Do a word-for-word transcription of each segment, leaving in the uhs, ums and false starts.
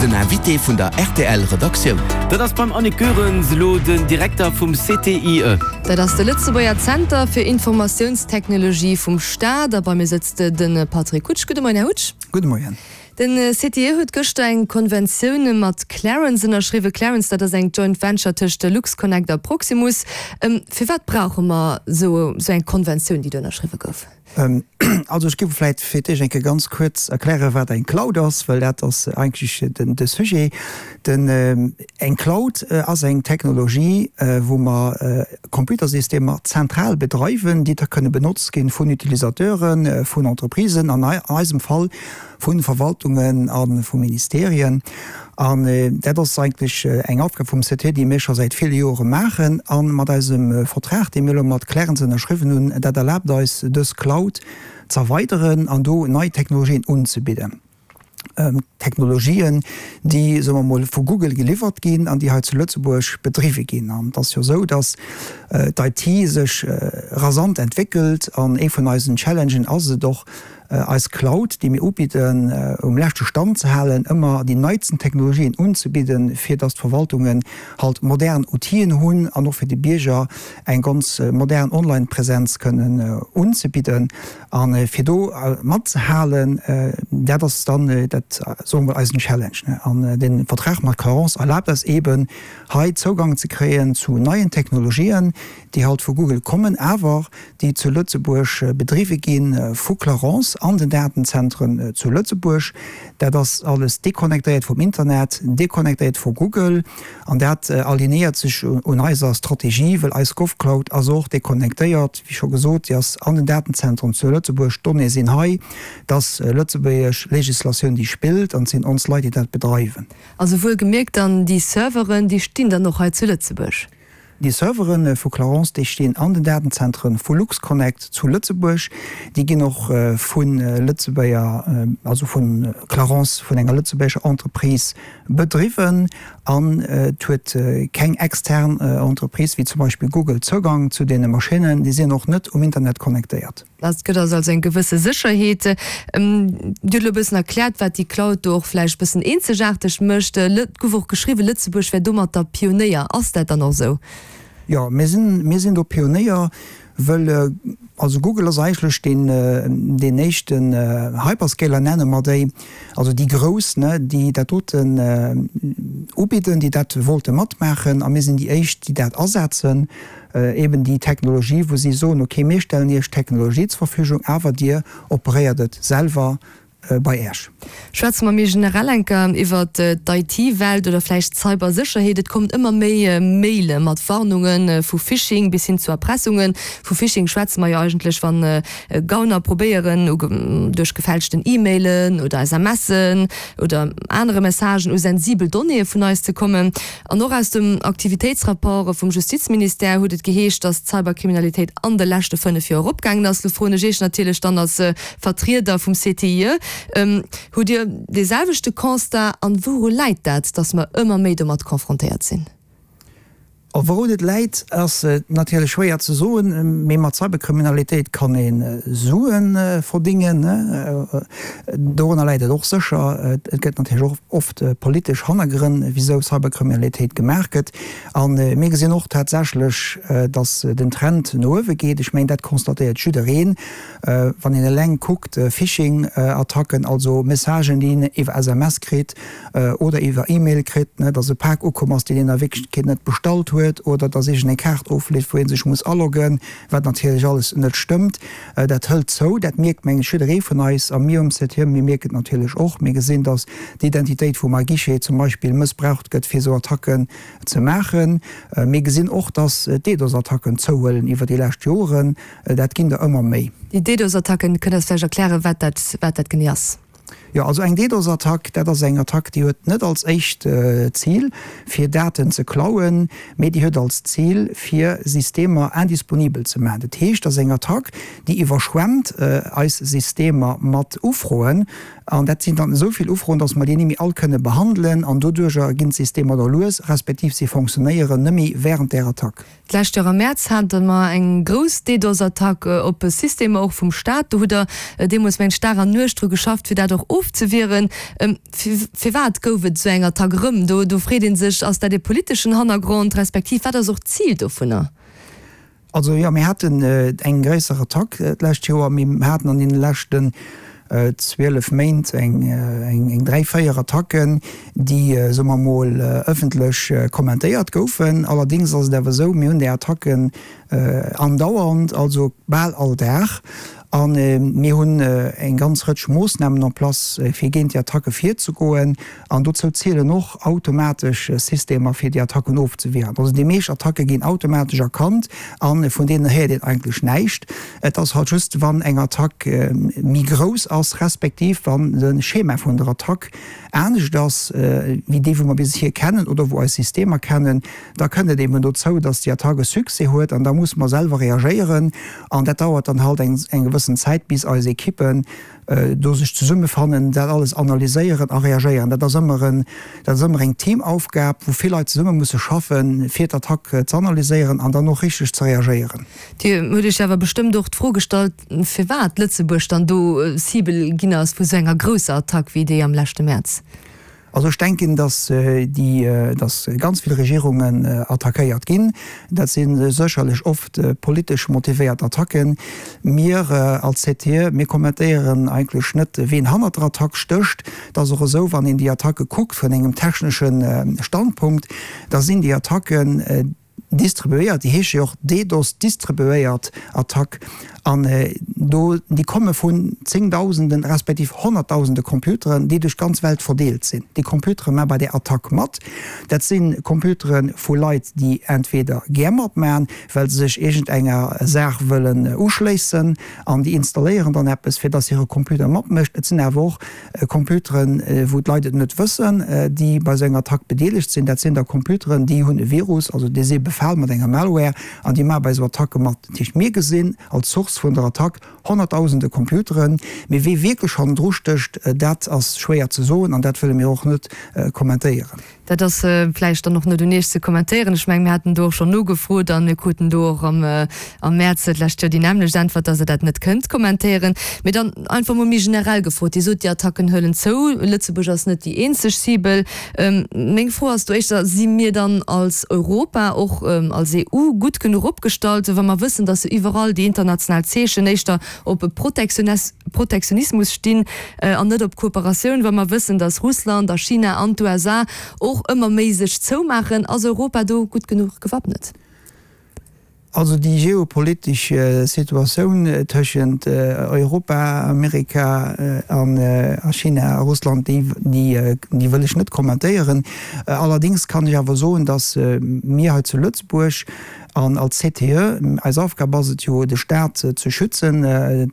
Den Invité vun der R T L Redaktioun. Dat ass beim Annick Goerens elo den Direkter vum C T I E. Dat ass de Lëtzebuerger Zenter fir Informatiounstechnologie vum Staat. A bei mir sëtzt de Patrick Hutsch. Gudde Moien, Här Hutsch. Gudde Moien. Den C T I E huet gëschter eng Konventioun mat Clarence ënnerschriwwen. Clarence, dat ass eng Joint Venture tëscht LuxConnect a Proximus. Ähm, firwat brauche mer sou, sou eng Konventioun, déi do ënnerschriwwe gouf? Ähm, also ech géif vläicht fir d'éischt eng Kéier ganz kuerz erklären, wat eng Cloud ass, well dat ass eigentlech den de Sujet. Den ähm, eng Cloud äh, ass eng Technologie, äh, wou mer äh, Computersystemer zentral bedreiwen, déi da kënne benotzt ginn vun Utilisateuren, äh, vun Entreprisen, an eisem Fall vu Verwaltungen a vu Ministerien. An äh, dat ass eigentlech äh, eng Aufgab vum C T I E, déi mir scho säit ville Jore maachen an mat eisem äh, Vertrag, dee mir mat Clarence ënnerschriwwen hunn, dat erlaabt eis dës Cloud ze erweideren an do nei Technologien unzebidden. Ähm, Technologien, déi soe mer mol vu Google geliwwert ginn an déi hei zu Lëtzebuerg bedriwwe ginn. An dat ass jo sou, dass äh, d'I T sech äh, rasant entwéckelt an ee vun eisen Challengen ass et och äh, eis Cloud, déi mir ubidden, äh, um leschte Stand ze halen, ëmmer déi neisten Technologien unzebidden, fir dass d'Verwaltungen halt modern Outile hunn an och fir de Bierger eng ganz äh, modern Online-Präsenz kënnen äh, unzebidden. An äh, fir do äh, matzehalen, äh, dat ass dann äh, dat soe mer eisen Challenge. Ne? An äh, den Vertrag mat Clarence erlaabt eis eben hei Zougang ze kréien zu neien Technologien, déi halt vu Google kommen, awer déi zu Lëtzebuerg äh, bedriwwe ginn äh, vu Clarence an den Datenzentren äh, zu Lëtzebuerg. Dat ass alles deconnectéiert vum Internet, deconnectéiert vu Google an dat äh, alignéiert sech un eiser Strategie, well eis GovCloud ass och deconnectéiert, wéi scho gesot, déi ass an den Datenzentren zu Lëtzebuerg, d'Donnéeë sinn hei, dass äh, lëtzebuergesch Legislatioun déi spillt an sinn ons Leit, déi dat bedreiwen. Also wuel gemierkt dann déi Serveren, déi stinn dann och hei zu Lëtzebuerg. Déi Serveren äh, vu Clarence, déi stinn an den Datenzentren vu LuxConnect zu Lëtzebuerg. Déi ginn och äh, vun äh, Lëtzebuerger äh, also vun Clarence vun enger lëtzebuergescher Entreprise bedriwwen an äh, huet äh, keng extern äh, Entreprise wéi zum Beispill Google Zougang zu deene Maschinnen, déi sinn och net um Internet connectéiert. Dat gëtt also eng gewësse Sécherheet. Ähm, Dir hutt e bëssen erkläert, wat déi Cloud do och vläicht bëssen eenzegaarteg mécht. Et gouf och geschriwwen, Lëtzebuerg wär domat der Pionéier. Ass dat dann och sou? Jo, mir sinn, mir sinn do Pionéier, well äh, also Google ass eigentlech den, äh, den éischten äh, Hyperscaler nenne mer déi, also déi grouss, ne, déi dat doten äh, ubidden, déi dat wollte matmaachen a mir sinn déi éischt, déi dat asetzen, äh, eben déi Technologie, wou si soen, okay, mir stellen iech Technologie zur Verfügung, awer dir operéiert et selwer äh, bei iech. Schwätze mer méi generell eng Kéier iwwer d'I T-Welt oder vläicht Cybersécherheet. Et kommen ëmmer méi äh, Maile mat Warnungen äh, vu Phishing bis hin zu Erpressungen. Vu Phishing schwätze mer jo eigentlech wann äh, Gauner probéieren duerch gefälschten E-Mailen oder S M Sen oder anere Messagen u sensibel Donnéeë vun eis ze kommen. An och aus dem Aktivitéitsrapport vum Justizministère huet et geheescht, dass d'Cyberkriminalitéit an de leschte fënnef Joer eropgaangen ass. Froen ech natierlech dann als äh, Vertrieder vum C T I E. Ähm, hutt Dir de selwechte Constat an wouru läit dat, dass mer ëmmer méi domat konfrontéiert sinn? Wourun et läit ass äh, natierlech schwéier ze soen, mee mat Cyberkriminalitéit kann een äh, Suen äh, verdéngen. Äh, dorunner läit et och sécher. Et gëtt natierlech och oft äh, politesch Hannergrënn, wisou Cyberkriminalitéit gemaach gëtt. An äh, mir gesinn och tatsächlech, äh, dass den Trend no uewe geet. Ech mengen dat constatéiert jiddereen. Äh, wann een eleng kuckt, äh, Phishing-Attacken, also Messagen, déi een iwwer S M S kritt äh, oder iwwer E-Mail kritt, ne, dass e Pak ukomm ass, deen een a Wierklechkeet net bestallt huet, oder dass een eng Kaart ofleet, wou ee sech muss aloggen, wat natierlech alles net stëmmt. Äh, dat hëlt zou, dat mierkt mengen ech jidderee vun eis a mir um C T I E, mir mierken et natierlech och. Mir gesinn, dass d'Identitéit vum Guichet zum Beispill mëssbraucht gëtt fir sou Attacken ze maachen. Äh, mir gesinn och, dass DDoS-Attacken zouhuelen iwwer déi lescht Joren, äh, dat ginn der ëmmer méi. Déi DDoS-Attacken kënnt Der vläicht erklären, wat dat, wat dat genee ass? Jo, also eng DDoS-Attack, dat ass eng Attack, déi huet net als éischt äh, Zil fir Daten ze klauen, mee déi huet als Zil fir Systemer indisponibel ze maachen. Dat heescht, dat ass eng Attack, déi iwwerschwemmt äh, eis Systemer mat Ufroen an dat sinn dann esou vill Ufroen, dass mer déi net méi all kënne behandelen an doduerch ginn d'Systemer da lues, respektiv si funktionéieren net méi wärend der Attack. D'lescht Joer am Mäerz hate mer eng grouss DDoS-Attack äh, op Systemer och vum Staat. Do hutt Der äh, deemools mengen ech Dag an Nuecht dru geschafft, fir dat och ofzewieren. Firwat gouf et esou eng Attack erëm? Do do freet ee sech, ass dat ee politeschen Hannergrond, respektiv wat ass och d'Zil dovunner? Also jo, mir haten eng gréisser Attack d'lescht Joer. Mir haten an deene leschten zwielef Méint eng dräi, véier Attacken, déi, soe mer emol, ëffentlech kommentéiert goufen. Allerdéngs ass et awer esou, mir hunn déi Attacken andauernd, also bal all Dag. A mir hunn eng ganz Rëtsch Moossnamen en place, fir géint déi Attacke virzegoen. An dozou zielen och automatesch Systemer, fir déi Attacken ofzewieren. Also déi meescht Attacke ginn automatesch erkannt a vun deenen héiert een eigentlech näischt. Et ass halt just, wann eng Attack méi grouss ass, respektiv wann de Schema vun der Attack anescht ass wéi dee wou mer bis hier kennen oder wou eis Systemer kennen, da kënnt et eben dozou, datt déi Attack e Succès huet an da musse mer selwer reagéieren an dat dauert dann halt eng eng gewëssen Zäit, bis eis Ekippen do sech zesummefannen, dat alles analyséieren a reagéieren. Dat ass ëmmer en, dat ass ëmmer eng Teamaufgab, wou vill Leit zesumme musse schaffen, fir d'Attack ze analyséieren an dann och richteg ze reagéieren. Dir hutt Iech awer bestëmmt och d'Fro gestallt, firwat Lëtzebuerg dann do Cible ginn ass vu sou enger grousser Attack wéi déi am leschte Mäerz. Also ech denken, datt déi, datt ganz vill Regierungen attackéiert ginn. Dat si sécherlech oft politesch motivéiert Attacken. Mir als C T E, mir kommentéieren eigentlech net, ween hannert der Attack stécht. Et ass och esou, wann een déi Attacke kuckt vun engem technesche Standpunkt, da sinn déi Attacken distribuéiert, déi heesche jo och DDoS, distribuéiert Attack, an do, déi komme vun Zéngdausenden respektiv Honnertdausende Computeren, déi duerch d'ganz Welt verdeelt sinn. Déi Computere maa bei där Attack mat. Dat si Computere vu Leit, déi entweder gär matmaen, well se sech iergendenger Saach wëllen uschléissen, an déi installéieren dann eppes, fir dass hire Computer matmécht. Et sinn awer och Computeren, wou d'Leit et net wëssen, déi bei esou enger Attack bedeelegt sinn. Dat sinn da Computeren, déi hunn e Virus, also déi si befal mat enger Malware an déi maache bei esou Attacke mat. Dat heescht, mir gesinn als Source vun der Attack honnertdausende Computeren, mee wee wierklech hannendru stécht, dat ass schwéier ze soen an dat wëlle mir och net kommentéieren. Dat ass vläicht dann och net un Iech ze kommentéieren. Ech mengen, mir haten do och schonn nogefrot a mir kruten do och am am Mäerz d'lescht Joer déi nämmlecht Äntwert, dass Der dat net kënnt kommentéieren. Mee dann einfach mol méi generell gefrot, Dir sot, déi Attacken huelen zou, Lëtzebuerg ass net déi eenzeg Cible. Meng Fro ass do éischter, Si mir dann als Europa, och als E U gutt genuch opgestallt, wa mer wëssen, dass jo iwwerall déi international Zeechen éischter op Protektionismus stinn an net op Kooperatioun, wa mer wëssen, dass Russland a China an d'U S A och ëmmer méi sech zoumaachen? Ass Europa do gutt genuch gewappnet? Also déi geopolitesch Situatioun tëschent Europa, Amerika a China a Russland, déi déi wëll ech net kommentéieren. Allerdéngs kann ech awer soen, datt mir hei zu Lëtzebuerg an als C T E, eis Aufgab ass et jo, de Staat ze schützen,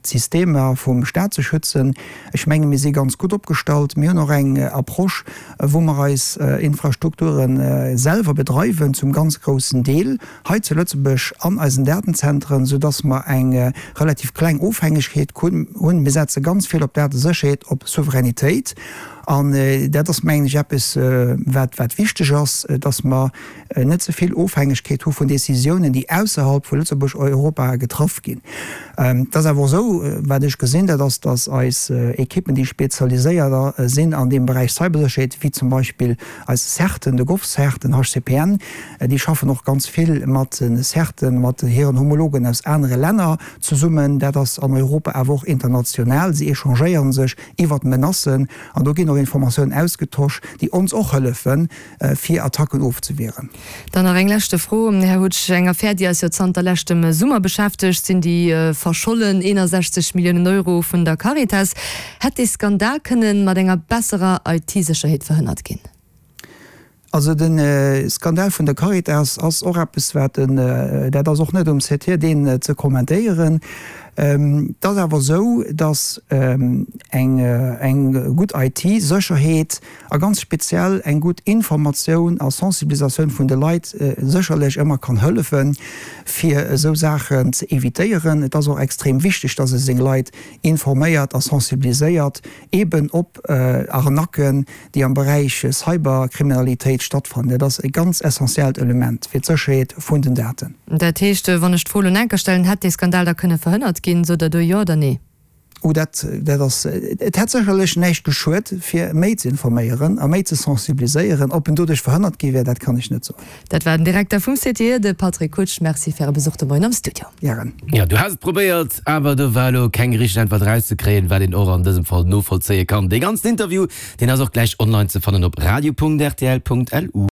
d'Systemer vum Staat ze schützen. Ech menge mir si ganz gutt opgestallt. Mir hunn och eng Approche, wou mer eis Infrastrukture selwer bedreiwen, zum ganz groussen Deel hei zu Lëtzebuerg an eisen Datenzentren, soudass mer eng relativ kleng Ofhängegkeet hunn. Mir setze ganz vill op Datesécherheet, op Souveränitéit. An dat ass, mengen ech, eppes, wat wat wichteg ass, dass mer net ze vill Ofhängegkeet hu vun Décisiounen, déi ausserhalb vu Lëtzebuerg, Europa getraff ginn. Et ass awer och esou, wat ech gesinn, dat ass, dass eis Ekippen, déi spezialiséiert sinn an deem Beräich Cybersécherheet, wéi zum Beispill eis CERTen, de GovCERT, den H C P N, déi schaffen och ganz vill mat de CERTen, mat hiren Homologen aus anere Länner zesummen. Dat ass an Europa, awer och international. Si échangéiere sech iwwert d'Menacen an do ginn och Informatiounen ausgetosch, déi ons och hëllefen, fir Attacken ofzewieren. Dann nach eng leschte Fro, Här Hutsch. Eng Affär, déi eis jo zanter leschtem Summer beschäftegt, sinn déi verschollen eenasechzeg Milliounen Euro vun der Caritas. Hätt dee Skandal kënnen mat enger besserer I T-Sécherheet verhënnert ginn? Also de Skandal vun der Caritas ass och eppes, wat en, dat ass och net um C T E, deen ze kommentéieren. Et ass awer esou, datt eng eng gutt I T-Sécherheet a ganz speziell eng gutt Informatioun a Sensibilisatioun vun de Leit sécherlech ëmmer kann hëllefen, fir esou Saachen ze evitéieren. Et ass och extrem wichteg, datt ee seng Leit informéiert a sensibiliséiert eben op Arnacken, déi am Beräich Cyberkriminalitéit stattfannen. Dat ass e ganz essentiellt Element fir d'Sécherheet vun den Daten. Dat heescht, wann ech d'Fro elo enker stellen, hätt dee Skandal da kënne verhënnert ginn, sot Der do Jo oder Nee? Oh, dat, dat ass, et hätt sécherlech näischt geschuet, fir méi ze informéieren a méi ze sensibiliséieren. Ob en doduerch verhënnert gi wär, dat kann ech net soen. Dat war den Direkter vum C T E, de Patrick Kutsch. Merci fir Äre Besuch de Moien am Studio. Gären. Jo, du has et probéiert, awer do war elo keng richteg Äntwert erauszekréien, wat een och an dësem Fall novollzéie kann. Dee ganzen Interview, deen ass och gläich online ze fannen op radio Punkt R T L Punkt L U.